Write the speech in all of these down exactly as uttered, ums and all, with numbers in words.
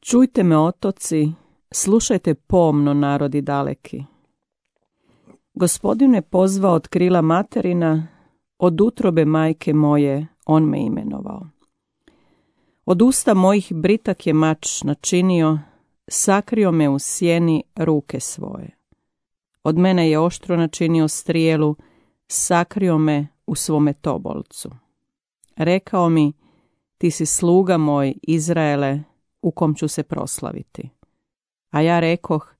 Čujte me otoci, slušajte pomno narodi daleki. Gospodin me pozvao od krila materina, od utrobe majke moje on me imenovao. Od usta mojih britak je mač načinio, sakrio me u sjeni ruke svoje. Od mene je oštro načinio strijelu, sakrio me u svome tobolcu. Rekao mi, ti si sluga moj, Izraele, u kom ću se proslaviti. A ja rekoh,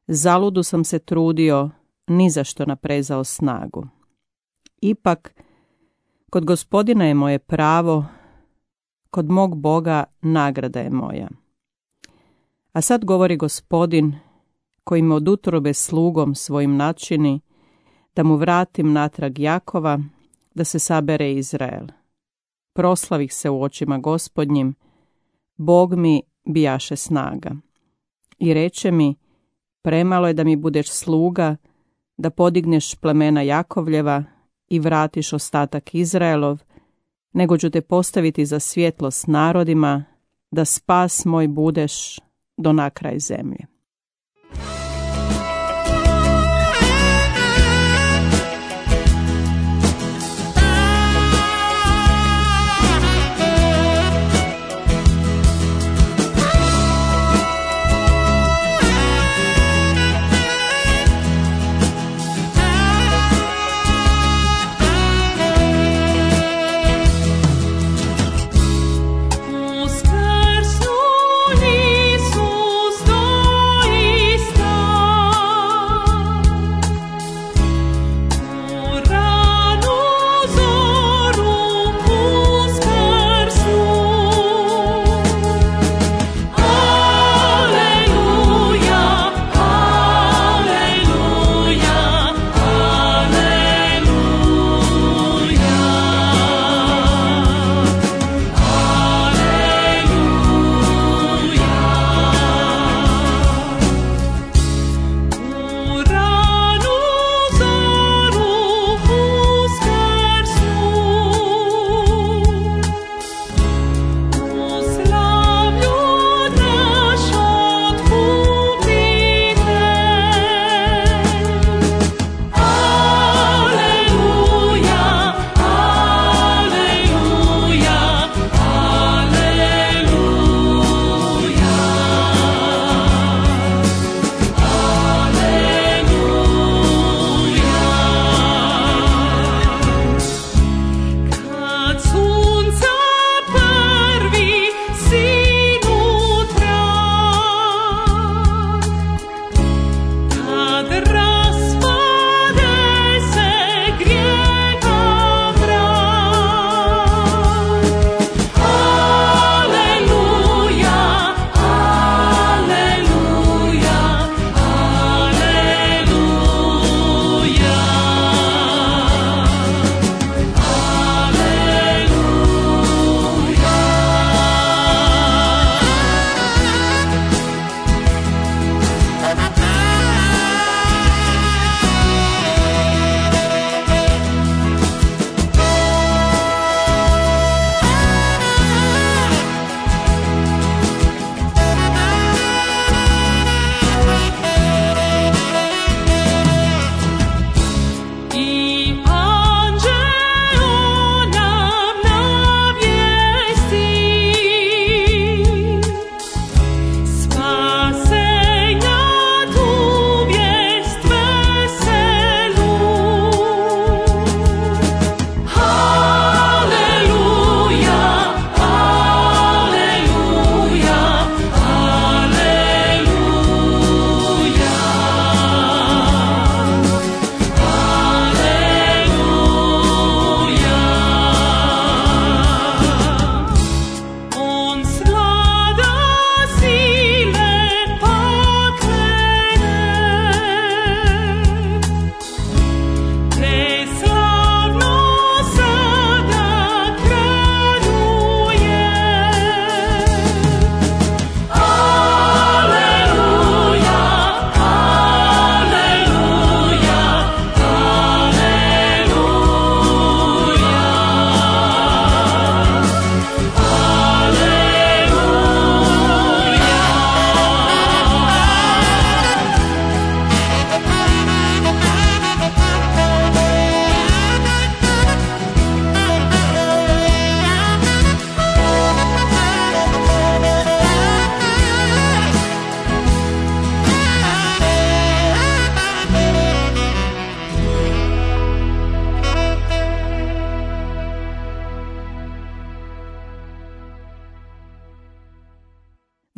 zaludu sam se trudio, ni za što naprezao snagu. Ipak, kod Gospodina je moje pravo, kod mog Boga nagrada je moja. A sad govori Gospodin, koji me od utrobe slugom svojim načini, da mu vratim natrag Jakova, da se sabere Izrael. Proslavih se u očima Gospodnjim, Bog mi bijaše snaga. I reče mi, premalo je da mi budeš sluga, da podigneš plemena Jakovljeva i vratiš ostatak Izraelov, nego ću te postaviti za svjetlost narodima, da spas moj budeš do nakraj zemlje. Uskrsnu Isus,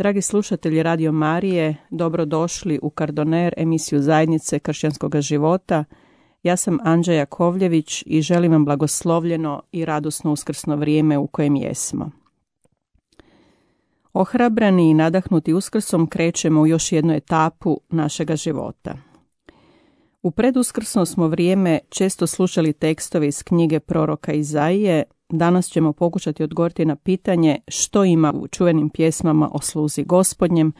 Dragi slušatelji Radio Marije, dobrodošli u Kardoner, emisiju Zajednice kršćanskog života. Ja sam Anđa Jakovljević i želim vam blagoslovljeno i radosno uskrsno vrijeme u kojem jesmo. Ohrabrani i nadahnuti uskrsom krećemo u još jednu etapu našega života. U preduskrsno smo vrijeme često slušali tekstove iz knjige proroka Izaije. Danas ćemo pokušati odgovoriti na pitanje što ima u čuvenim pjesmama o sluzi Gospodnjem.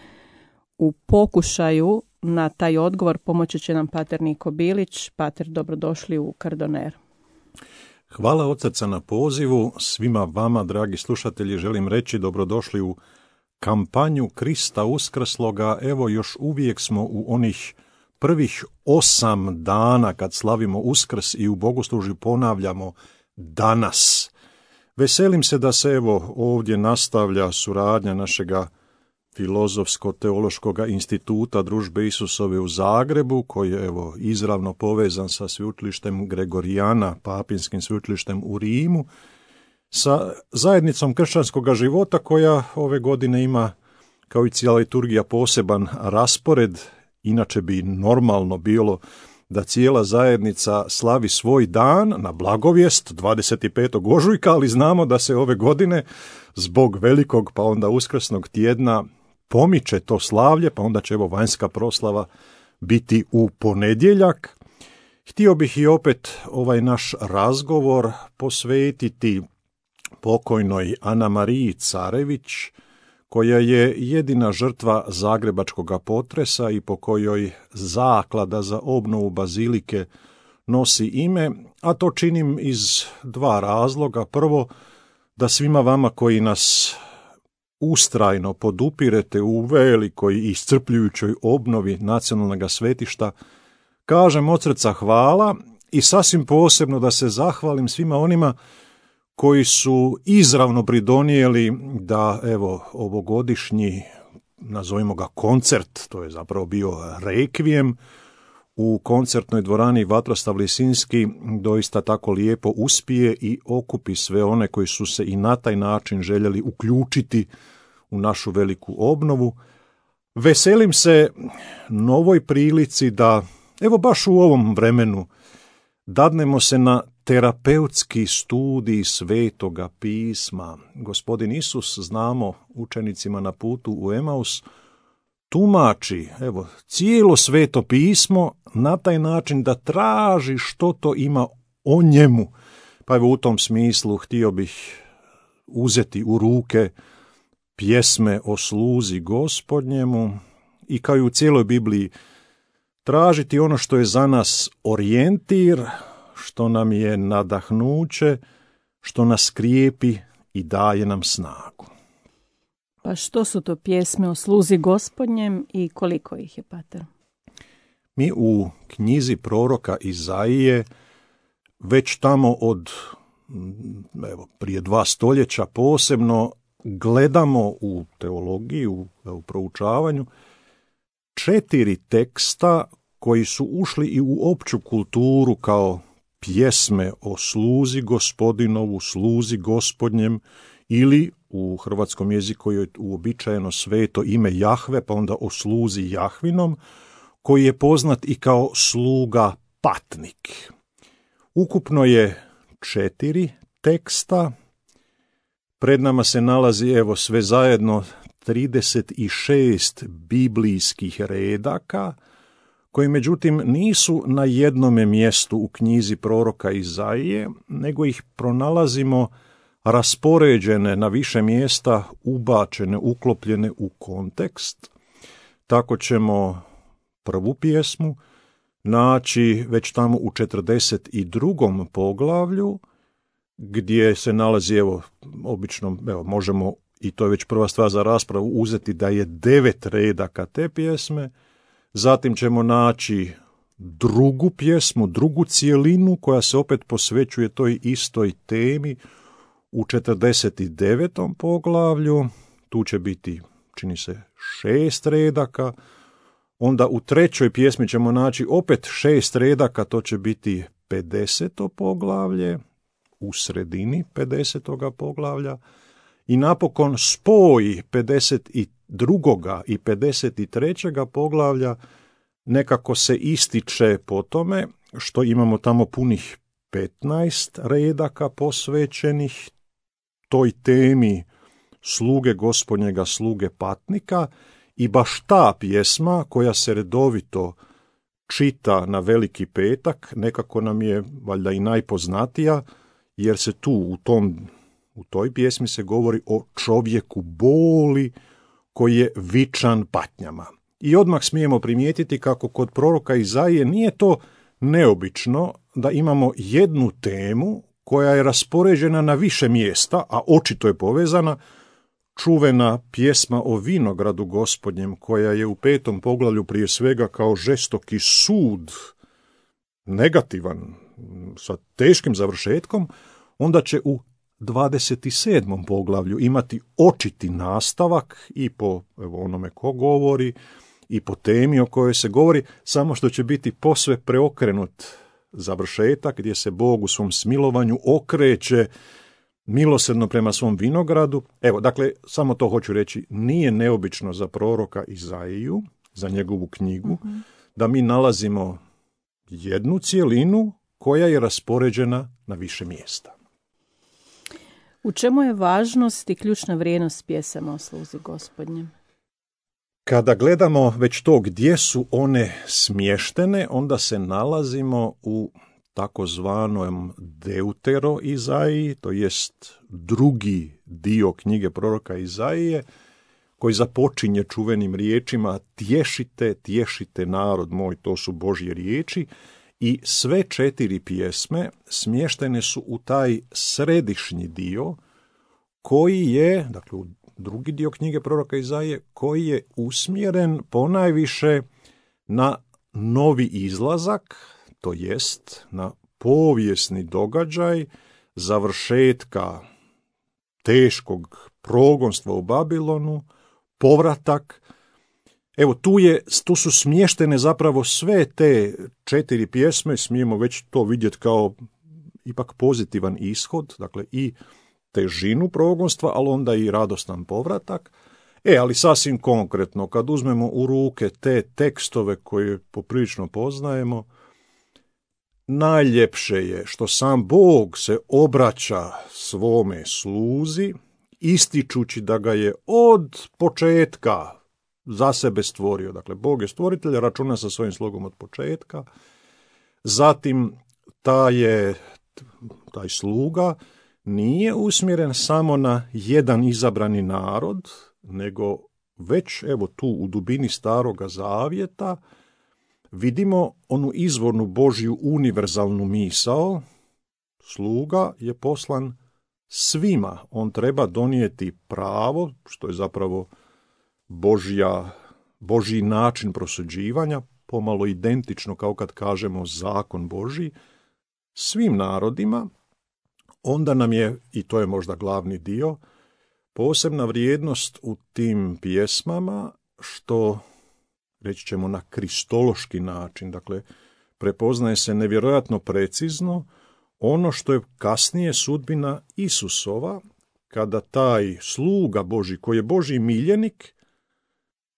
U pokušaju na taj odgovor pomoći će nam pater Niko Bilić. Pater, dobrodošli u Kardoner. Hvala od srca na pozivu. Svima vama, dragi slušatelji, želim reći dobrodošli u kampanju Krista uskrsloga. Evo, još uvijek smo u onih prvih osam dana kad slavimo Uskrs i u bogoslužju ponavljamo danas. Veselim se da se evo ovdje nastavlja suradnja našega Filozofsko-teološkog instituta Družbe Isusove u Zagrebu, koji je evo izravno povezan sa sveučilištem Gregorijana, papinskim sveučilištem u Rimu, sa zajednicom kršćanskog života koja ove godine ima, kao i cijela liturgija, poseban raspored. Inače bi normalno bilo da cijela zajednica slavi svoj dan na Blagovijest dvadeset petog ožujka, ali znamo da se ove godine zbog velikog pa onda uskrsnog tjedna pomiče to slavlje, pa onda će evo vanjska proslava biti u ponedjeljak. Htio bih i opet ovaj naš razgovor posvetiti pokojnoj Ana Mariji Carević, koja je jedina žrtva zagrebačkog potresa i po kojoj zaklada za obnovu bazilike nosi ime, a to činim iz dva razloga. Prvo, da svima vama koji nas ustrajno podupirete u velikoj i iscrpljujućoj obnovi nacionalnog svetišta, kažem od srca hvala i sasvim posebno da se zahvalim svima onima koji su izravno pridonijeli da evo ovogodišnji, nazovimo ga koncert, to je zapravo bio rekvijem, u koncertnoj dvorani Vatroslav Lisinski doista tako lijepo uspije i okupi sve one koji su se i na taj način željeli uključiti u našu veliku obnovu. Veselim se novoj prilici da, evo baš u ovom vremenu, dadnemo se na terapeutski studij Svetoga pisma. Gospodin Isus, znamo, učenicima na putu u Emaus, tumači, evo, cijelo Sveto pismo na taj način da traži što to ima o njemu. Pa evo u tom smislu htio bih uzeti u ruke pjesme o sluzi Gospodnjemu i kao i u cijeloj Bibliji tražiti ono što je za nas orijentir, što nam je nadahnuće, što nas krijepi i daje nam snagu. Pa što su to pjesme o sluzi Gospodnjem i koliko ih je, pater? Mi u knjizi proroka Izaije već tamo od evo, prije dva stoljeća posebno gledamo u teologiji, u, u proučavanju, četiri teksta koji su ušli i u opću kulturu kao pjesme o sluzi Gospodinovu, sluzi Gospodnjem, ili u hrvatskom jeziku je uobičajeno sveto ime Jahve, pa onda o sluzi Jahvinom, koji je poznat i kao sluga patnik. Ukupno je četiri teksta, pred nama se nalazi evo sve zajedno trideset šest biblijskih redaka, koji međutim nisu na jednome mjestu u knjizi proroka Izaije, nego ih pronalazimo raspoređene na više mjesta, ubačene, uklopljene u kontekst. Tako ćemo prvu pjesmu naći već tamo u četrdeset drugom poglavlju, gdje se nalazi, evo, obično, evo, možemo, i to je već prva stvar za raspravu, uzeti da je devet redaka te pjesme. Zatim ćemo naći drugu pjesmu, drugu cijelinu koja se opet posvećuje toj istoj temi u četrdeset devetom poglavlju. Tu će biti, čini se, šest redaka. Onda u trećoj pjesmi ćemo naći opet šest redaka, to će biti pedeseto poglavlje, u sredini pedesetoga poglavlja. I napokon spoj pedeset drugoga i pedeset trećega poglavlja nekako se ističe po tome što imamo tamo punih petnaest redaka posvećenih toj temi sluge Gospodnjega, sluge patnika, i baš ta pjesma koja se redovito čita na Veliki petak nekako nam je valjda i najpoznatija, jer se tu u tom u toj pjesmi se govori o čovjeku boli koji je vičan patnjama. I odmah smijemo primijetiti kako kod proroka Izaije nije to neobično da imamo jednu temu koja je raspoređena na više mjesta, a očito je povezana. Čuvena pjesma o vinogradu Gospodnjem, koja je u petom poglavlju prije svega kao žestoki sud, negativan, sa teškim završetkom, onda će u dvadeset sedmom poglavlju imati očiti nastavak i po evo, onome ko govori i po temi o kojoj se govori, samo što će biti posve preokrenut završetak gdje se Bog u svom smilovanju okreće milosrdno prema svom vinogradu. Evo, dakle, samo to hoću reći, nije neobično za proroka Izaiju, za njegovu knjigu, mm-hmm. da mi nalazimo jednu cjelinu koja je raspoređena na više mjesta. U čemu je važnost i ključna vrijednost pjesama o sluzi Gospodnjem? Kada gledamo već to gdje su one smještene, onda se nalazimo u takozvanom Deutero Izaiji, to jest drugi dio knjige proroka Izaije, koji započinje čuvenim riječima tješite, tješite narod moj, to su Božje riječi, i sve četiri pjesme smještene su u taj središnji dio koji je, dakle u drugi dio knjige proroka Izaije, koji je usmjeren ponajviše na novi izlazak, to jest na povijesni događaj završetka teškog progonstva u Babilonu, povratak. Evo, tu, je, tu su smještene zapravo sve te četiri pjesme, smijemo već to vidjeti kao ipak pozitivan ishod, dakle i težinu progonstva, ali onda i radostan povratak. E, ali sasvim konkretno, kad uzmemo u ruke te tekstove koje poprilično poznajemo, najljepše je što sam Bog se obraća svome sluzi, ističući da ga je od početka za sebe stvorio. Dakle, Bog je stvoritelj, računa sa svojim slugom od početka. Zatim, taj, je, taj sluga nije usmjeren samo na jedan izabrani narod, nego već evo tu u dubini Staroga Zavjeta vidimo onu izvornu Božju univerzalnu misao. Sluga je poslan svima. On treba donijeti pravo, što je zapravo Božja, Božji način prosuđivanja, pomalo identično kao kad kažemo zakon Božji, svim narodima. Onda nam je, i to je možda glavni dio, posebna vrijednost u tim pjesmama, što reći ćemo na kristološki način, dakle prepoznaje se nevjerojatno precizno ono što je kasnije sudbina Isusova, kada taj sluga Božji, koji je Božji miljenik,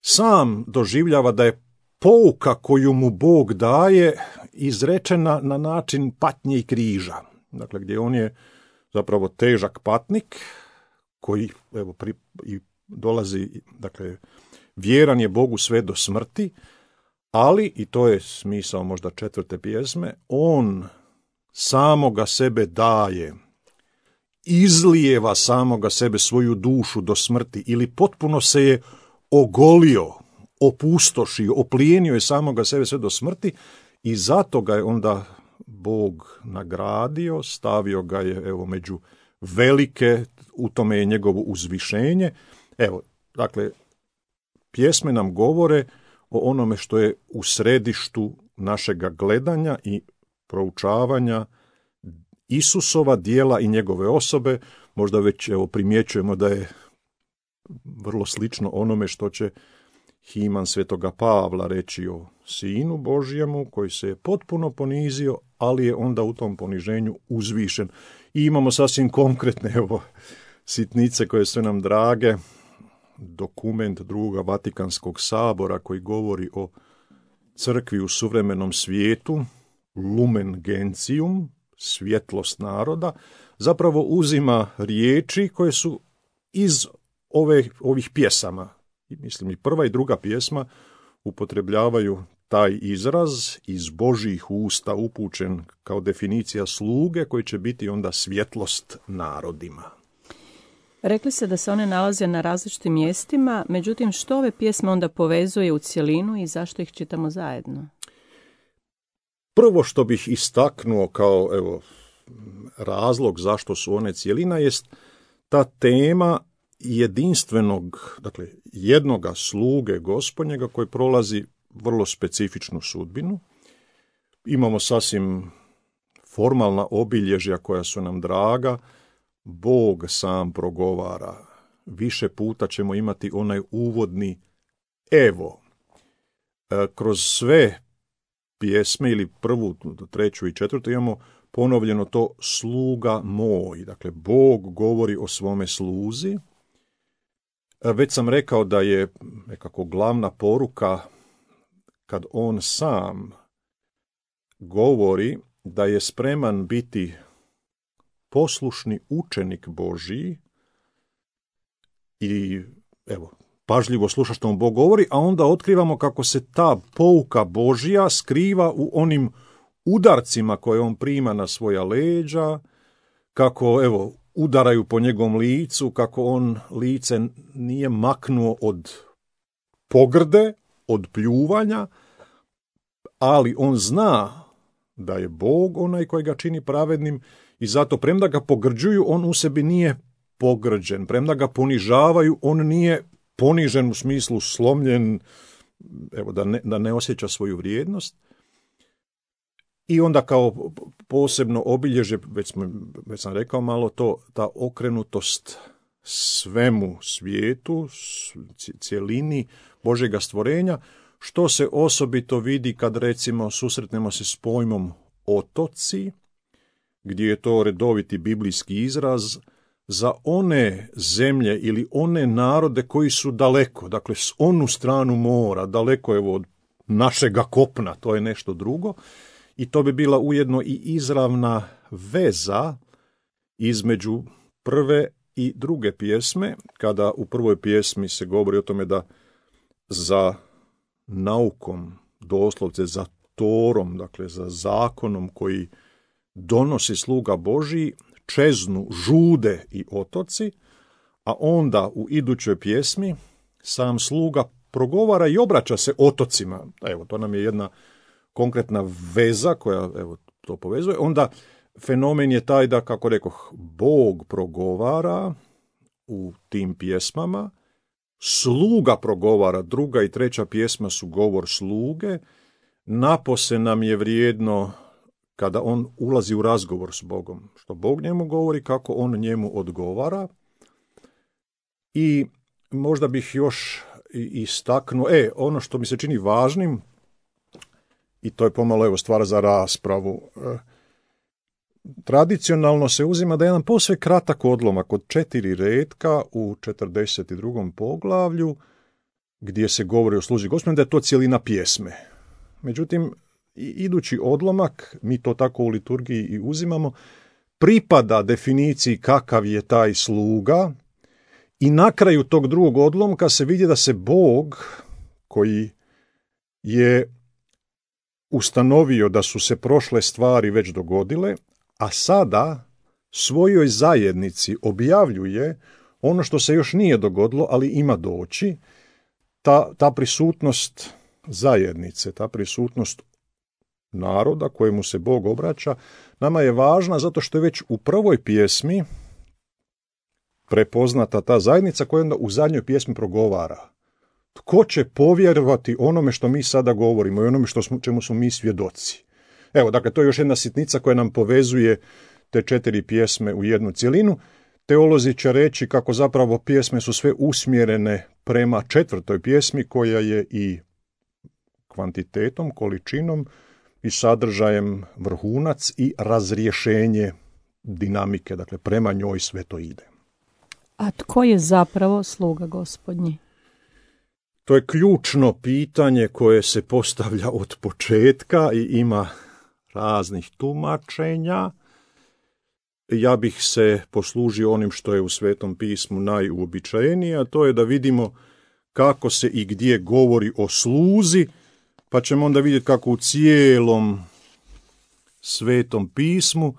sam doživljava da je pouka koju mu Bog daje izrečena na način patnje i križa. Dakle, gdje on je zapravo težak patnik, koji evo, pri, i dolazi, dakle, vjeran je Bogu sve do smrti, ali, i to je smisao možda četvrte pjesme, on samoga sebe daje, izlijeva samoga sebe, svoju dušu do smrti, ili potpuno se je ogolio, opustošio, oplijenio je samoga sebe sve do smrti, i zato ga je onda Bog nagradio, stavio ga je evo među velike, u tome je njegovo uzvišenje. Evo, dakle, pjesme nam govore o onome što je u središtu našega gledanja i proučavanja Isusova djela i njegove osobe. Možda već evo primjećujemo da je vrlo slično onome što će Himan svetoga Pavla reći o Sinu Božjemu, koji se je potpuno ponizio, ali je onda u tom poniženju uzvišen. I imamo sasvim konkretne evo, sitnice koje su nam drage. dokument drugog Vatikanskog sabora koji govori o crkvi u suvremenom svijetu, Lumen Gentium, svjetlost naroda, zapravo uzima riječi koje su iz ove, ovih pjesama. Mislim, i prva i druga pjesma upotrebljavaju taj izraz iz Božjih usta upućen kao definicija sluge koji će biti onda svjetlost narodima. Rekli ste da se one nalaze na različitim mjestima, međutim što ove pjesme onda povezuje u cjelinu i zašto ih čitamo zajedno? Prvo što bih istaknuo kao evo, razlog zašto su one cjelina jest ta tema jedinstvenog, dakle jednoga sluge Gospodnjega koji prolazi vrlo specifičnu sudbinu. Imamo sasvim formalna obilježja koja su nam draga. Bog sam progovara. Više puta ćemo imati onaj uvodni evo. E, kroz sve pjesme ili prvu, treću i četvrtu imamo ponovljeno to sluga moj. Dakle, Bog govori o svome sluzi. E, već sam rekao da je nekako glavna poruka kad on sam govori da je spreman biti poslušni učenik Božji i evo, pažljivo sluša što mu Bog govori, a onda otkrivamo kako se ta pouka Božja skriva u onim udarcima koje on prima na svoja leđa, kako evo, udaraju po njegovom licu, kako on lice nije maknuo od pogrde, od pljuvanja, ali on zna da je Bog onaj koji ga čini pravednim i zato premda ga pogrđuju, on u sebi nije pogrđen. Premda ga ponižavaju, on nije ponižen u smislu slomljen, evo, da ne, da ne osjeća svoju vrijednost. I onda kao posebno obilježje, već, smo, već sam rekao malo to, ta okrenutost svemu svijetu, cjelini Božjega stvorenja, što se osobito vidi kad recimo susretnemo se s pojmom otoci, gdje je to redoviti biblijski izraz za one zemlje ili one narode koji su daleko, dakle s onu stranu mora, daleko evo od našega kopna, to je nešto drugo. I to bi bila ujedno i izravna veza između prve i druge pjesme, kada u prvoj pjesmi se govori o tome da za naukom, doslovce za Torom, dakle za zakonom koji donosi sluga Božji, čeznu žude i otoci, a onda u idućoj pjesmi sam sluga progovara i obraća se otocima. Evo, to nam je jedna konkretna veza koja evo, to povezuje. Onda fenomen je taj da, kako rekoh, Bog progovara u tim pjesmama, sluga progovara, druga i treća pjesma su govor sluge, napose nam je vrijedno kada on ulazi u razgovor s Bogom, što Bog njemu govori, kako on njemu odgovara. I možda bih još istaknuo, e, ono što mi se čini važnim, i to je pomalo evo stvar za raspravu, e, tradicionalno se uzima da je jedan posve kratak odlomak od četiri retka u četrdeset drugom poglavlju, gdje se govori o sluzi Gospodinu, da je to cijelina pjesme. Međutim, idući odlomak, mi to tako u liturgiji i uzimamo, pripada definiciji kakav je taj sluga i na kraju tog drugog odlomka se vidi da se Bog, koji je ustanovio da su se prošle stvari već dogodile, a sada svojoj zajednici objavljuje ono što se još nije dogodilo, ali ima doći, ta, ta prisutnost zajednice, ta prisutnost naroda kojemu se Bog obraća, nama je važna zato što je već u prvoj pjesmi prepoznata ta zajednica koja onda u zadnjoj pjesmi progovara. Tko će povjerovati onome što mi sada govorimo i onome što smo, čemu smo mi svjedoci? Evo, dakle, to je još jedna sitnica koja nam povezuje te četiri pjesme u jednu cjelinu. Teolozi će reći kako zapravo pjesme su sve usmjerene prema četvrtoj pjesmi koja je i kvantitetom, količinom i sadržajem vrhunac i razrješenje dinamike, dakle prema njoj sve to ide. A tko je zapravo sluga Gospodnji? To je ključno pitanje koje se postavlja od početka i ima raznih tumačenja. Ja bih se poslužio onim što je u Svetom pismu najuobičajenije, a to je da vidimo kako se i gdje govori o sluzi, pa ćemo onda vidjeti kako u cijelom Svetom pismu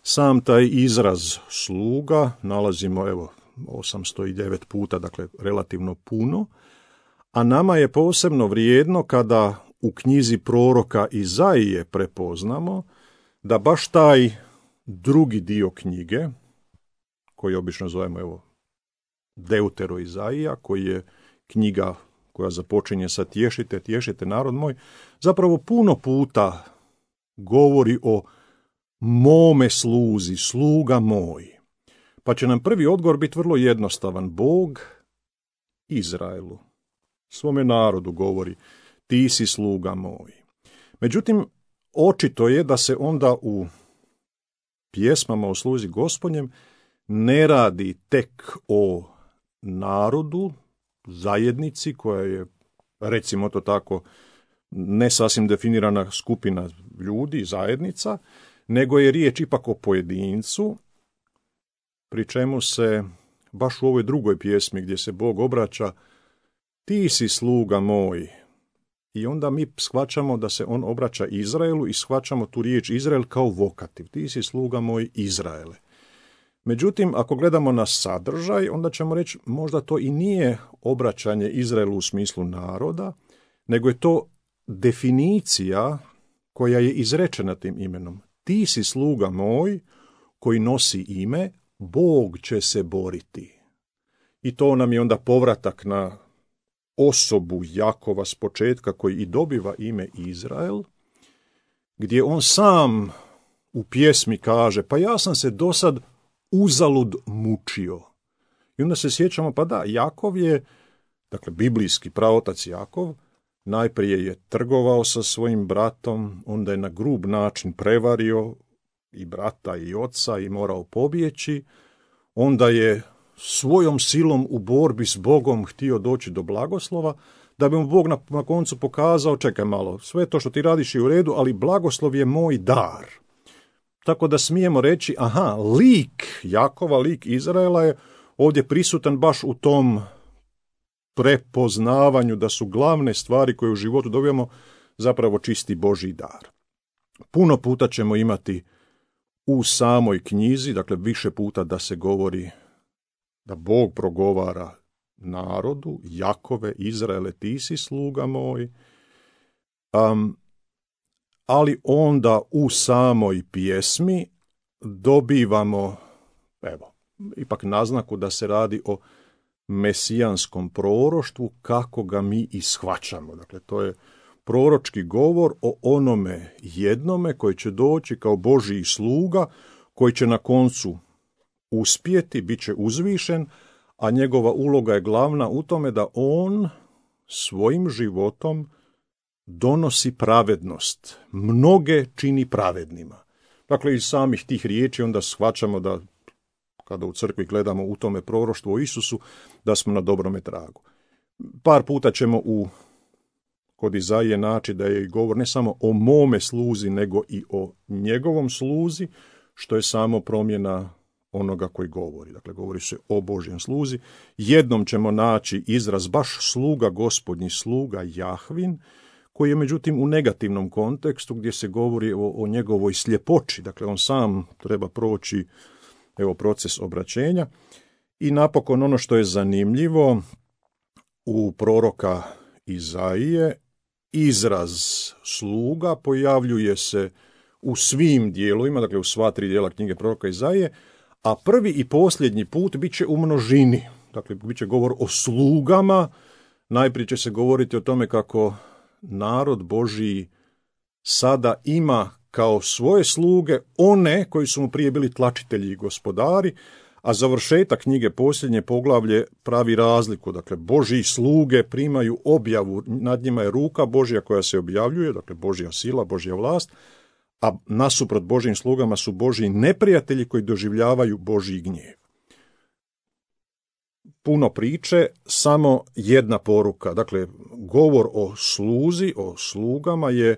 sam taj izraz sluga nalazimo evo osamsto devet puta, dakle relativno puno, a nama je posebno vrijedno kada u knjizi proroka Izaije prepoznamo da baš taj drugi dio knjige, koji obično zovemo evo Deutero Izaija, koji je knjiga koja započinje sa tješite, tješite narod moj, zapravo puno puta govori o mome sluzi, sluga moj. Pa će nam prvi odgovor biti vrlo jednostavan. Bog Izraelu, svome narodu govori, ti si sluga moj. Međutim, očito je da se onda u pjesmama o sluzi Gospodnjem ne radi tek o narodu, zajednici koja je, recimo to tako, ne sasvim definirana skupina ljudi, zajednica, nego je riječ ipak o pojedincu, pri čemu se baš u ovoj drugoj pjesmi gdje se Bog obraća, ti si sluga moj. I onda mi shvaćamo da se on obraća Izraelu i shvaćamo tu riječ Izrael kao vokativ. Ti si sluga moj Izraele. Međutim, ako gledamo na sadržaj, onda ćemo reći možda to i nije obraćanje Izraelu u smislu naroda, nego je to definicija koja je izrečena tim imenom. Ti si sluga moj koji nosi ime, Bog će se boriti. I to nam je onda povratak na osobu Jakova s početka koji i dobiva ime Izrael, gdje on sam u pjesmi kaže, pa ja sam se dosad uzalud mučio. I onda se sjećamo, pa da, Jakov je, dakle biblijski praotac Jakov, najprije je trgovao sa svojim bratom, onda je na grub način prevario i brata i oca i morao pobjeći, onda je svojom silom u borbi s Bogom htio doći do blagoslova, da bi mu Bog na, na koncu pokazao, čekaj malo, sve to što ti radiš je u redu, ali blagoslov je moj dar. Tako da smijemo reći, aha, lik Jakova, lik Izraela je ovdje prisutan baš u tom prepoznavanju da su glavne stvari koje u životu dobijamo zapravo čisti Božji dar. Puno puta ćemo imati u samoj knjizi, dakle više puta da se govori da Bog progovara narodu, Jakove, Izraele, ti si sluga moj, um, ali onda u samoj pjesmi dobivamo, evo, ipak naznaku da se radi o mesijanskom proroštvu kako ga mi i shvaćamo. Dakle, to je proročki govor o onome jednome koji će doći kao Božji sluga, koji će na koncu uspjeti, bit će uzvišen, a njegova uloga je glavna u tome da on svojim životom donosi pravednost. Mnoge čini pravednima. Dakle, iz samih tih riječi onda shvaćamo da, kada u crkvi gledamo u tome proroštvu o Isusu, da smo na dobrome tragu. Par puta ćemo u kod Izaije naći da je govor ne samo o mome sluzi, nego i o njegovom sluzi, što je samo promjena onoga koji govori. Dakle, govori se o Božjem sluzi. Jednom ćemo naći izraz baš sluga Gospodnji, sluga Jahvin, koji je međutim u negativnom kontekstu gdje se govori o, o njegovoj sljepoći. Dakle, on sam treba proći evo, proces obraćenja. I napokon ono što je zanimljivo u proroka Izaije, izraz sluga pojavljuje se u svim dijelovima, dakle u sva tri dijela knjige proroka Izaije, a prvi i posljednji put bit će u množini. Dakle, bit će govor o slugama. Najprije će se govoriti o tome kako narod Božji sada ima kao svoje sluge one koji su mu prije bili tlačitelji i gospodari, a završetak knjige posljednje poglavlje pravi razliku. Dakle, Božji sluge primaju objavu, nad njima je ruka Božja koja se objavljuje, dakle Božja sila, Božja vlast, a nasuprot Božjim slugama su Božji neprijatelji koji doživljavaju Božji gnjev. puno priče, samo jedna poruka. Dakle, govor o sluzi, o slugama je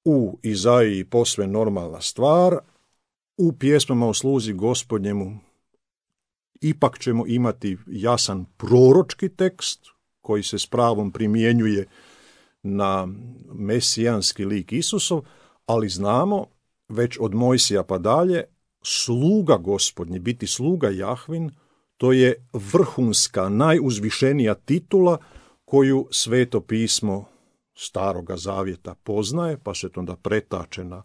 u Izaiji posve normalna stvar, u pjesmama o sluzi Gospodnjemu ipak ćemo imati jasan proročki tekst koji se s pravom primjenjuje na mesijanski lik Isusov, ali znamo već od Mojsija pa dalje, sluga Gospodnji, biti sluga Jahvin, to je vrhunska, najuzvišenija titula koju Sveto pismo Staroga zavjeta poznaje, pa se to onda pretače na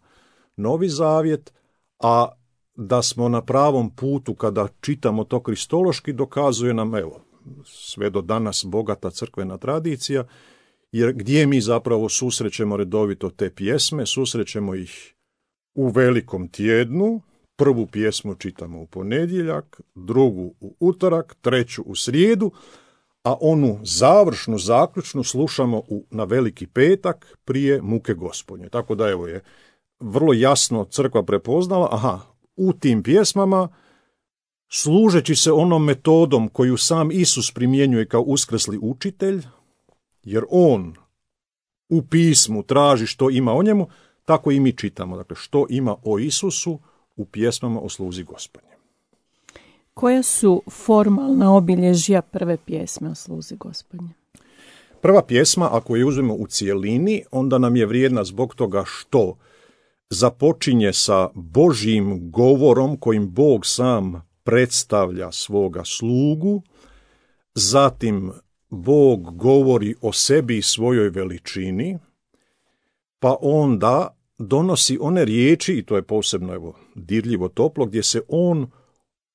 Novi zavjet, a da smo na pravom putu kada čitamo to kristološki dokazuje nam, evo, sve do danas bogata crkvena tradicija, jer gdje mi zapravo susrećemo redovito te pjesme, susrećemo ih u velikom tjednu, prvu pjesmu čitamo u ponedjeljak, drugu u utorak, treću u srijedu, a onu završnu, zaključnu slušamo u, na veliki petak prije muke Gospodnje. Tako da evo je vrlo jasno crkva prepoznala, aha, u tim pjesmama, služeći se onom metodom koju sam Isus primjenjuje kao uskrsli učitelj, jer on u pismu traži što ima o njemu, tako i mi čitamo. Dakle, što ima o Isusu u pjesmama o sluzi Gospodnje. Koja su formalna obilježja prve pjesme o sluzi Gospodnje? Prva pjesma, ako je uzmemo u cijelini, onda nam je vrijedna zbog toga što započinje sa Božjim govorom kojim Bog sam predstavlja svoga slugu, zatim Bog govori o sebi i svojoj veličini, pa onda donosi one riječi, i to je posebno evo, dirljivo toplo, gdje se on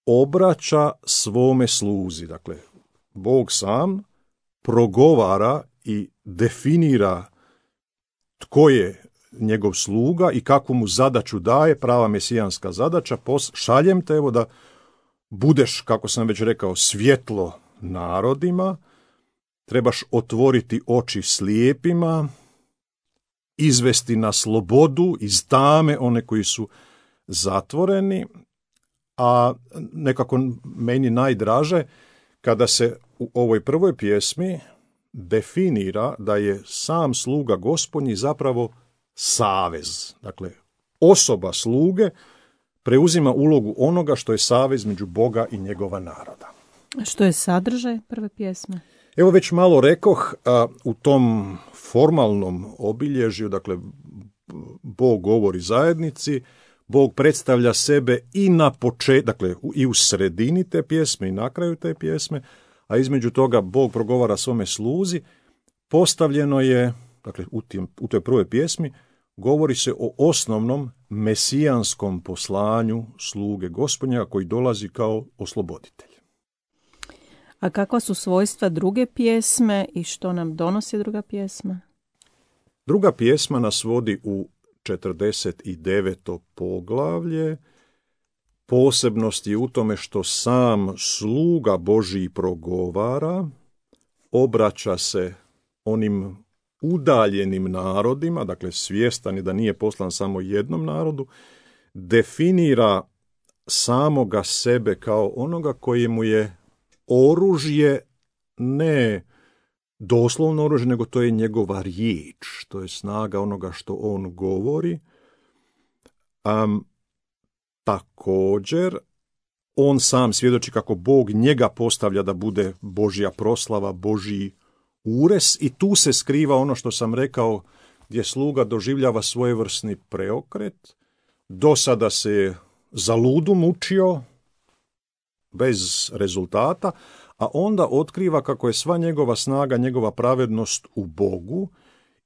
obraća svome sluzi. Dakle, Bog sam progovara i definira tko je njegov sluga i kakvu mu zadaću daje, prava mesijanska zadaća, šaljem te evo da budeš, kako sam već rekao, svjetlo narodima, trebaš otvoriti oči slijepima, izvesti na slobodu iz tame one koji su zatvoreni, a nekako meni najdraže kada se u ovoj prvoj pjesmi definira da je sam sluga Gospodnji zapravo savez. Dakle, osoba sluge preuzima ulogu onoga što je savez među Boga i njegova naroda. Što je sadržaj prve pjesme? Evo već malo rekoh, a, u tom formalnom obilježju, dakle, Bog govori zajednici, Bog predstavlja sebe i na početku, dakle, i u sredini te pjesme i na kraju te pjesme, a između toga Bog progovara svome sluzi. Postavljeno je, dakle, u, tim, u toj prvoj pjesmi, govori se o osnovnom mesijanskom poslanju sluge Gospodnja koji dolazi kao osloboditelj. A kakva su svojstva druge pjesme i što nam donosi druga pjesma? Druga pjesma nas vodi u četrdeset deveto poglavlje. Posebnost je u tome što sam sluga Božji progovara, obraća se onim udaljenim narodima, dakle svjestan je da nije poslan samo jednom narodu, definira samoga sebe kao onoga koji mu je oružje, ne doslovno oružje, nego to je njegova riječ, to je snaga onoga što on govori. Um, također, on sam svjedoči kako Bog njega postavlja da bude Božja proslava, Božji ures, i tu se skriva ono što sam rekao, gdje sluga doživljava svojevrsni preokret. Do sada se je za ludu mučio, bez rezultata, a onda otkriva kako je sva njegova snaga, njegova pravednost u Bogu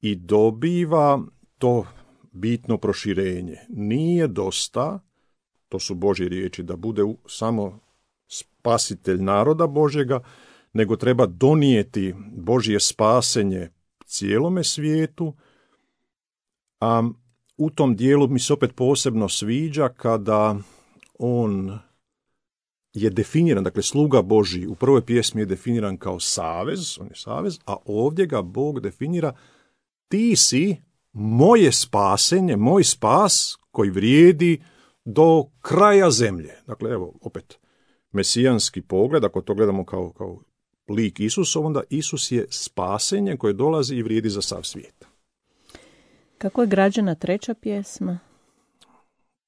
i dobiva to bitno proširenje. Nije dosta, to su Božje riječi, da bude samo spasitelj naroda Božjega, nego treba donijeti Božje spasenje cijelome svijetu. A u tom dijelu mi se opet posebno sviđa kada on je definiran, dakle sluga Božji u prvoj pjesmi je definiran kao savez, on je savez, a ovdje ga Bog definira, ti si moje spasenje, moj spas koji vrijedi do kraja zemlje. Dakle, evo, opet, mesijanski pogled, ako to gledamo kao, kao lik Isusov, onda Isus je spasenje koje dolazi i vrijedi za sav svijet. Kako je građena treća pjesma?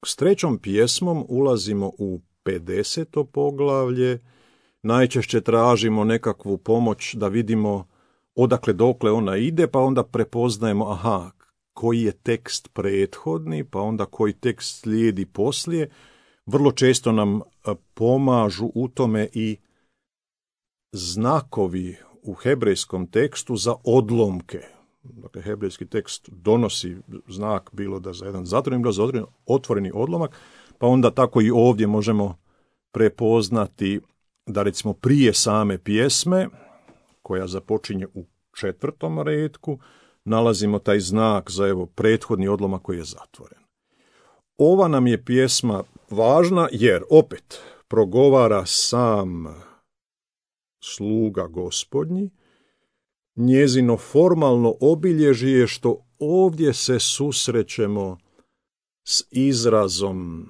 S trećom pjesmom ulazimo u pedeseto poglavlje. Najčešće tražimo nekakvu pomoć da vidimo odakle dokle ona ide, pa onda prepoznajemo, aha, koji je tekst prethodni, pa onda koji tekst slijedi poslije. Vrlo često nam pomažu u tome i znakovi u hebrejskom tekstu za odlomke. Dakle, hebrejski tekst donosi znak bilo da za jedan zatvoreni, bilo za otvoreni odlomak, pa onda tako i ovdje možemo prepoznati da recimo prije same pjesme, koja započinje u četvrtom retku, nalazimo taj znak za evo prethodni odlomak koji je zatvoren. Ova nam je pjesma važna jer opet progovara sam sluga Gospodnji. Njezino formalno obilježje je što ovdje se susrećemo s izrazom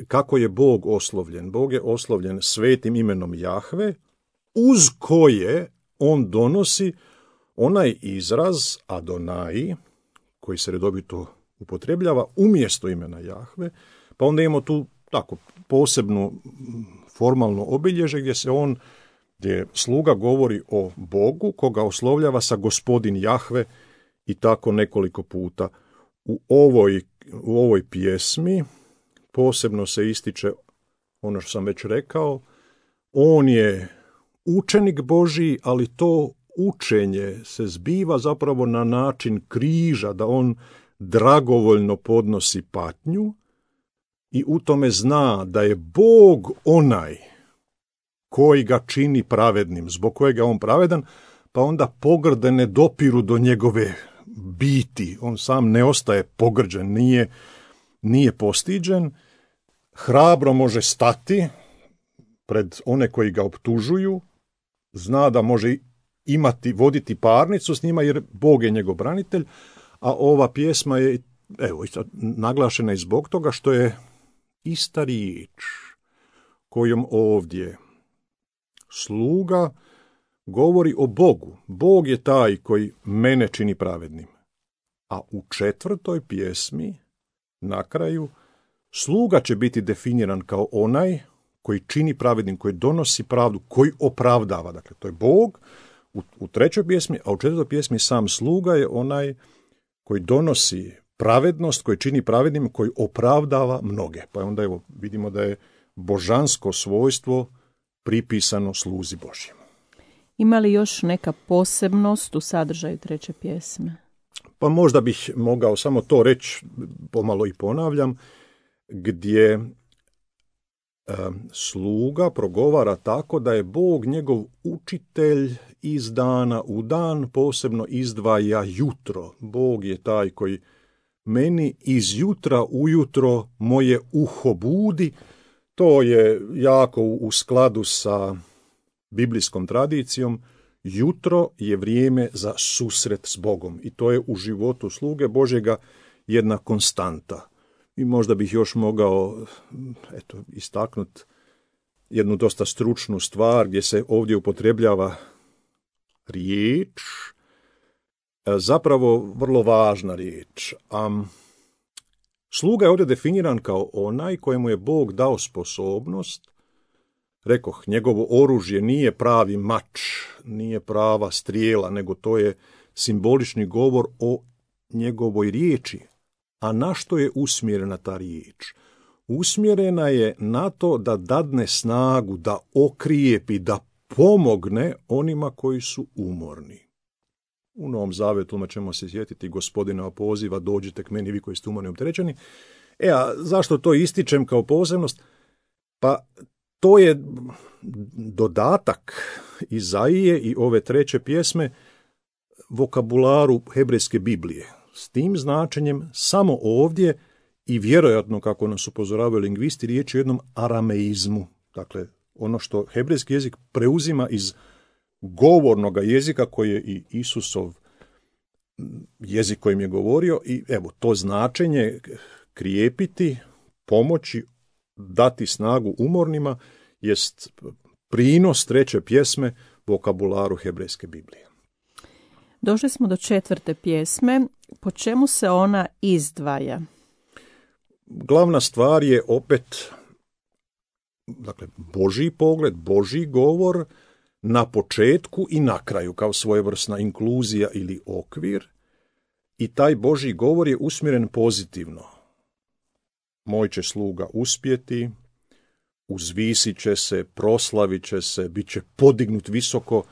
kako je Bog oslovljen. Bog je oslovljen svetim imenom Jahve, uz koje on donosi onaj izraz Adonai, koji se redovito upotrebljava umjesto imena Jahve, pa onda imamo tu tako posebnu formalno obilježje gdje se on, gdje sluga govori o Bogu, koga oslovljava sa gospodin Jahve i tako nekoliko puta. U ovoj, u ovoj pjesmi posebno se ističe ono što sam već rekao, on je učenik Božji, ali to učenje se zbiva zapravo na način križa, da on dragovoljno podnosi patnju i u tome zna da je Bog onaj koji ga čini pravednim, zbog kojega je on pravedan, pa onda pogrde ne dopiru do njegove biti. On sam ne ostaje pogrđen, nije, nije postiđen, hrabro može stati pred one koji ga optužuju, zna da može imati, voditi parnicu s njima jer Bog je njegov branitelj, a ova pjesma je evo, naglašena i zbog toga što je ista riječ kojom ovdje sluga govori o Bogu. Bog je taj koji mene čini pravednim. A u četvrtoj pjesmi, na kraju, sluga će biti definiran kao onaj koji čini pravednim, koji donosi pravdu, koji opravdava. Dakle, to je Bog u, u trećoj pjesmi, a u četvrtoj pjesmi sam sluga je onaj koji donosi pravednost, koji čini pravednim, koji opravdava mnoge. Pa onda evo vidimo da je božansko svojstvo pripisano sluzi Božjem. Ima li još neka posebnost u sadržaju treće pjesme? Pa možda bih mogao samo to reći, pomalo i ponavljam, gdje e, sluga progovara tako da je Bog njegov učitelj iz dana u dan, posebno izdvaja jutro. Bog je taj koji meni iz jutra ujutro moje uho budi. To je jako u skladu sa biblijskom tradicijom. Jutro je vrijeme za susret s Bogom i to je u životu sluge Božjega jedna konstanta. I možda bih još mogao eto, istaknuti jednu dosta stručnu stvar gdje se ovdje upotrebljava riječ, zapravo vrlo važna riječ. Um, sluga je ovdje definiran kao onaj kojemu je Bog dao sposobnost. Rekoh, njegovo oružje nije pravi mač, nije prava strijela, nego to je simbolični govor o njegovoj riječi. A na što je usmjerena ta riječ? Usmjerena je na to da dadne snagu, da okrijepi, da pomogne onima koji su umorni. U Novom Zavetu ćemo se sjetiti Gospodinova poziva, dođite k meni vi koji ste umorni i opterećeni. E, a zašto to ističem kao posebnost? Pa to je dodatak Izaije i ove treće pjesme vokabularu hebrejske Biblije. S tim značenjem samo ovdje i vjerojatno, kako nas upozoravaju lingvisti, riječ je o jednom arameizmu. Dakle, ono što hebrejski jezik preuzima iz govornog jezika koji je i Isusov jezik kojim je govorio i evo to značenje krijepiti, pomoći, dati snagu umornima jest prinos treće pjesme vokabularu hebrejske Biblije. Došli smo do četvrte pjesme. Po čemu se ona izdvaja? Glavna stvar je opet, dakle, Božji pogled, Božji govor na početku i na kraju, kao svojevrsna inkluzija ili okvir. I taj Božji govor je usmjeren pozitivno. Moj će sluga uspjeti, uzvisit će se, proslavit će se, bit će podignut visoko,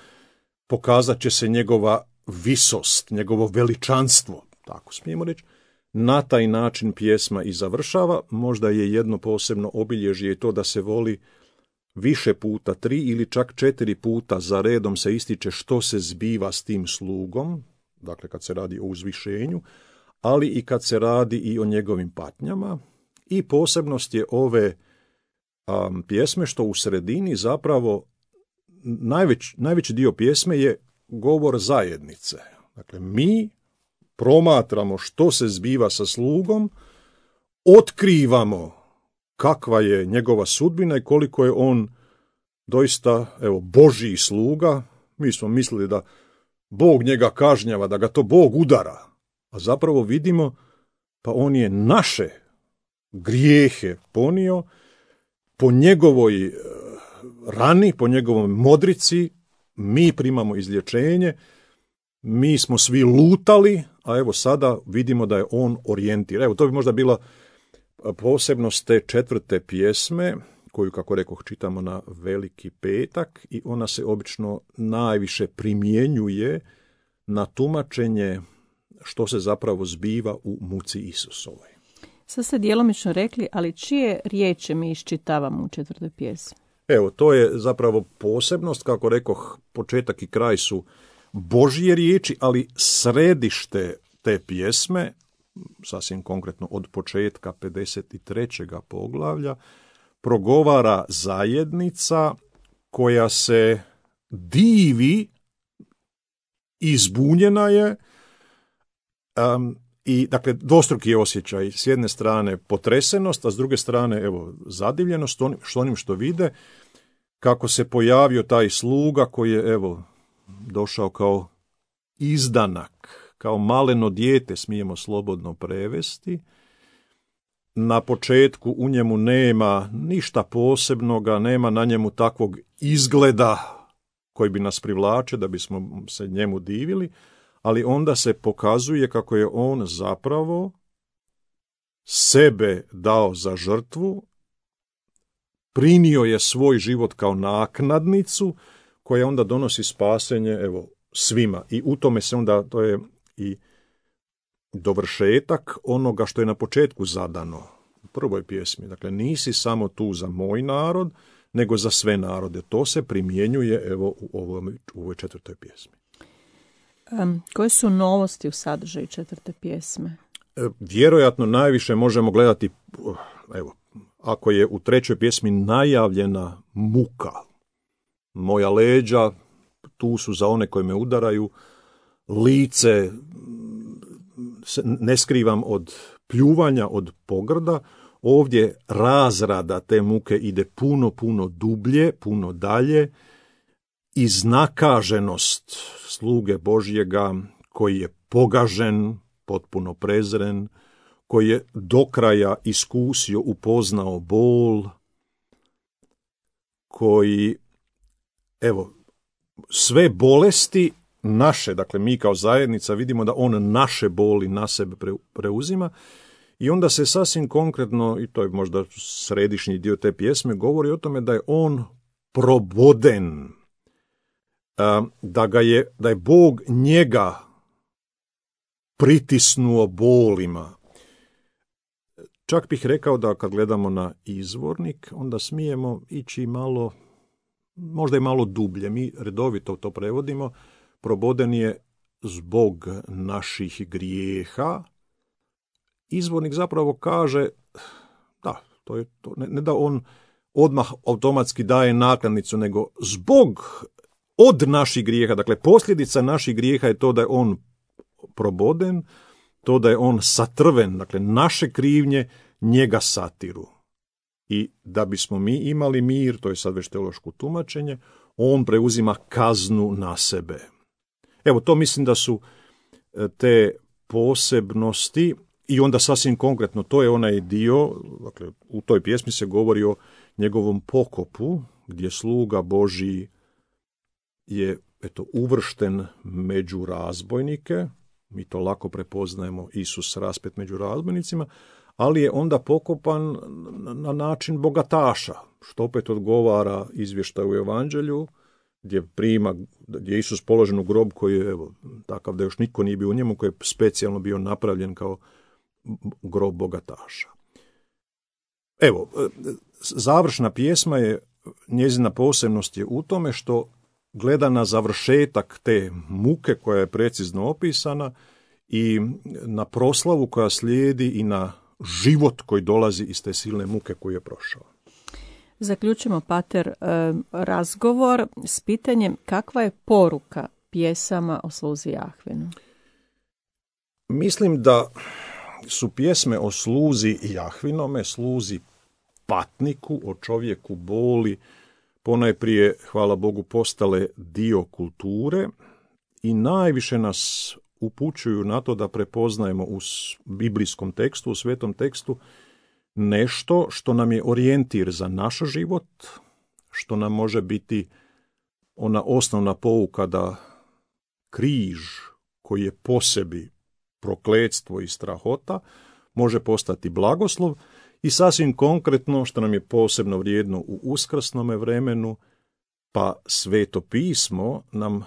pokazat će se njegova visost, njegovo veličanstvo, tako smijemo reći. Na taj način pjesma i završava. Možda je jedno posebno obilježje i to da se voli više puta, tri ili čak četiri puta za redom se ističe što se zbiva s tim slugom, dakle kad se radi o uzvišenju, ali i kad se radi i o njegovim patnjama. I posebnost je ove um, pjesme što u sredini zapravo najveć, najveći dio pjesme je govor zajednice. Dakle, mi promatramo što se zbiva sa slugom, otkrivamo kakva je njegova sudbina i koliko je on doista, evo, Božji sluga. Mi smo mislili da Bog njega kažnjava, da ga to Bog udara, a zapravo vidimo pa on je naše grijehe ponio, po njegovoj rani, po njegovoj modrici mi primamo izlječenje, mi smo svi lutali, a evo sada vidimo da je on orijentiran. Evo, to bi možda bila posebnost te četvrte pjesme, koju, kako rekoh, čitamo na Veliki petak i ona se obično najviše primjenjuje na tumačenje što se zapravo zbiva u muci Isusovoj. Sad ste djelomično rekli, ali čije riječi mi iščitavamo u četvrtoj pjesmi? Evo, to je zapravo posebnost, kako rekoh, početak i kraj su Božje riječi, ali središte te pjesme, sasvim konkretno od početka pedeset trećeg poglavlja, progovara zajednica koja se divi, izbunjena je, um, i dakle dvostruki je osjećaj, s jedne strane potresenost, a s druge strane evo zadivljenost onim što, onim što vide, kako se pojavio taj sluga koji je evo došao kao izdanak, kao maleno dijete, smijemo slobodno prevesti. Na početku u njemu nema ništa posebnoga, nema na njemu takvog izgleda koji bi nas privlače da bismo se njemu divili, ali onda se pokazuje kako je on zapravo sebe dao za žrtvu, prinio je svoj život kao naknadnicu koja onda donosi spasenje evo svima. I u tome se onda, to je i dovršetak onoga što je na početku zadano u prvoj pjesmi. Dakle, nisi samo tu za moj narod, nego za sve narode. To se primjenjuje evo u ovoj, u ovoj četvrtoj pjesmi. Um, koje su novosti u sadržaju četvrte pjesme? E, vjerojatno najviše možemo gledati, evo, ako je u trećoj pjesmi najavljena muka. Moja leđa, tu su za one koji me udaraju, lice ne skrivam od pljuvanja, od pogrda. Ovdje razrada te muke ide puno, puno dublje, puno dalje. Iznakaženost sluge Božjega koji je pogažen, potpuno prezren, koji je do kraja iskusio, upoznao bol, koji, evo, sve bolesti naše, dakle mi kao zajednica vidimo da on naše boli na sebe preuzima i onda se sasvim konkretno, i to je možda središnji dio te pjesme, govori o tome da je on proboden, da ga je, da je Bog njega pritisnuo bolima. Čak bih rekao da kad gledamo na izvornik, onda smijemo ići malo, možda i malo dublje. Mi redovito to prevodimo. Proboden je zbog naših grijeha. Izvornik zapravo kaže, da, to je to, ne, ne da on odmah automatski daje naknadnicu, nego zbog od naših grijeha, dakle posljedica naših grijeha je to da je on proboden, to da je on satrven, dakle naše krivnje njega satiru. i da bismo mi imali mir, to je sad već teološko tumačenje, on preuzima kaznu na sebe. Evo, to mislim da su te posebnosti i onda sasvim konkretno, to je onaj dio, dakle, u toj pjesmi se govori o njegovom pokopu, gdje sluga Božji je eto, uvršten među razbojnike, mi to lako prepoznajemo, Isus raspet među razbojnicima, ali je onda pokopan na način bogataša, što opet odgovara izvještaju u Evanđelju, gdje prima, gdje je Isus položen u grob koji je evo, takav da još nitko nije bio u njemu, koji je specijalno bio napravljen kao grob bogataša. Evo, završna pjesma je, njezina posebnost je u tome što gleda na završetak te muke koja je precizno opisana i na proslavu koja slijedi i na život koji dolazi iz te silne muke koju je prošao. Zaključimo, pater, razgovor s pitanjem kakva je poruka pjesama o sluzi Jahvinu? Mislim da su pjesme o sluzi Jahvinome, sluzi patniku, o čovjeku boli, ponajprije, hvala Bogu, postale dio kulture i najviše nas upućuju na to da prepoznajemo u biblijskom tekstu, u svetom tekstu, nešto što nam je orijentir za naš život, što nam može biti ona osnovna pouka da križ koji je po sebi prokletstvo i strahota može postati blagoslov i sasvim konkretno što nam je posebno vrijedno u uskrsnome vremenu, pa Sveto pismo nam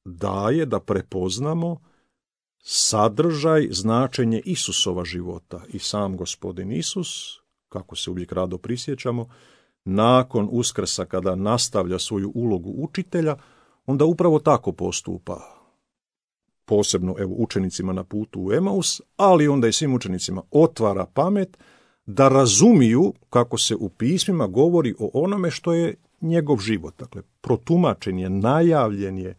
daje da prepoznamo sadržaj, značenje Isusova života i sam Gospodin Isus, kako se uvijek rado prisjećamo, nakon uskrsa kada nastavlja svoju ulogu učitelja, onda upravo tako postupa. Posebno evo, učenicima na putu u Emaus, ali onda i svim učenicima otvara pamet da razumiju kako se u pismima govori o onome što je njegov život. Dakle, protumačen je, najavljen je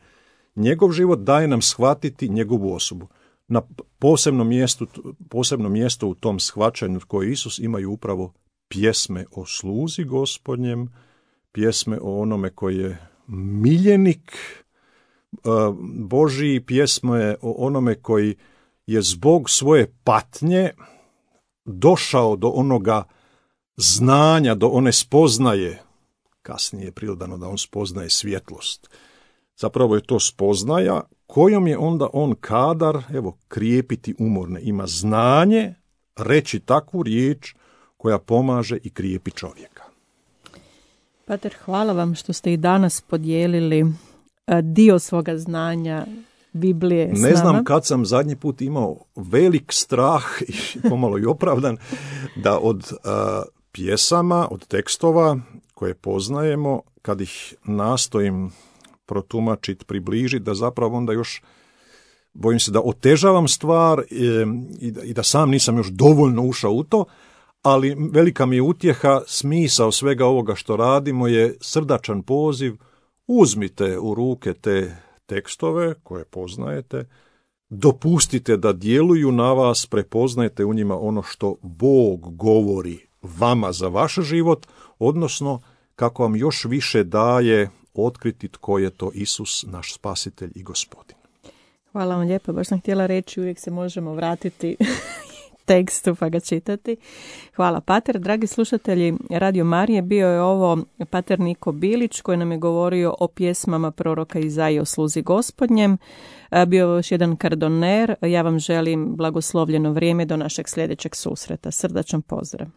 njegov život, daje nam shvatiti njegovu osobu. Na posebno mjesto, posebno mjesto u tom shvaćanju koje Isus imaju upravo pjesme o sluzi Gospodnjem, pjesme o onome koji je miljenik Božiji, pjesme o onome koji je zbog svoje patnje došao do onoga znanja, do one spoznaje, kasnije je pridodano da on spoznaje svjetlost. Zapravo je to spoznaja kojom je onda on kadar, evo, krijepiti umorne. Ima znanje reći takvu riječ koja pomaže i krijepi čovjeka. Pater, hvala vam što ste i danas podijelili dio svoga znanja Biblije s nama. Ne znam kad sam zadnji put imao velik strah i pomalo i opravdan da od uh, pjesama, od tekstova koje poznajemo, kad ih nastojim protumačiti, približiti, da zapravo onda još bojim se da otežavam stvar e, i, da, i da sam nisam još dovoljno ušao u to, ali velika mi je utjeha, smisao svega ovoga što radimo je srdačan poziv, uzmite u ruke te tekstove koje poznajete, dopustite da djeluju na vas, prepoznajte u njima ono što Bog govori vama za vaš život, odnosno kako vam još više daje otkriti tko je to Isus, naš spasitelj i gospodin. Hvala vam lijepo, baš sam htjela reći, uvijek se možemo vratiti tekstu pa ga čitati. Hvala, pater. Dragi slušatelji Radio Marije, bio je ovo pater Niko Bilić koji nam je govorio o pjesmama proroka Izaije o sluzi Gospodnjem. Bio je još jedan kardoner. Ja vam želim blagoslovljeno vrijeme do našeg sljedećeg susreta. Srdačan pozdrav.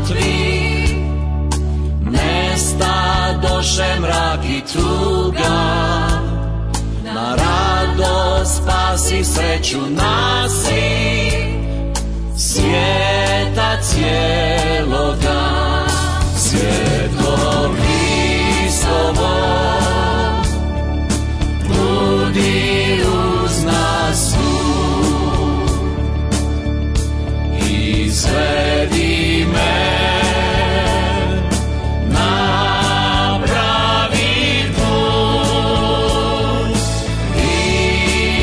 mrtvi, nestadoše mrak i tuga, na radost spasi sreću nasi, svijeta cijeloga. Svjetlo Hristovo, budi uz nas tu, izvedi me na pravi put,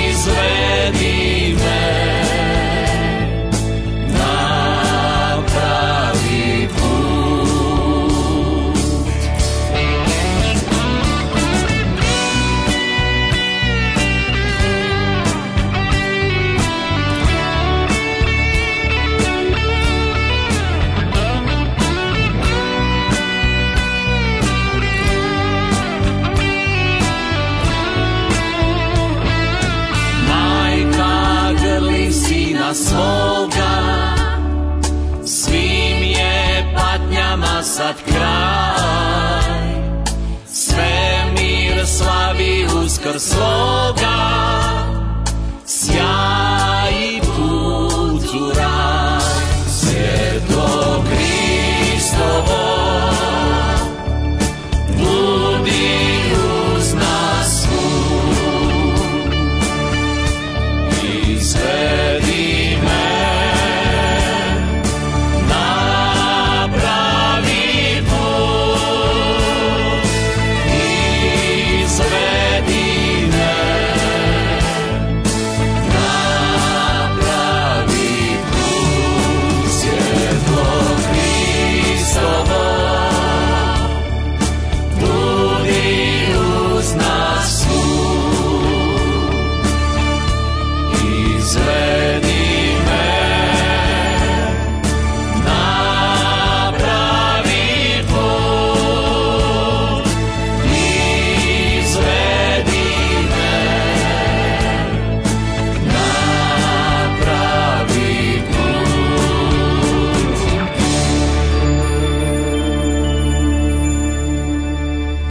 izvedi me na pravi put. Majka grli sina svoga, svim je patnjama sad kraj, svemir slavi uskrs svoga.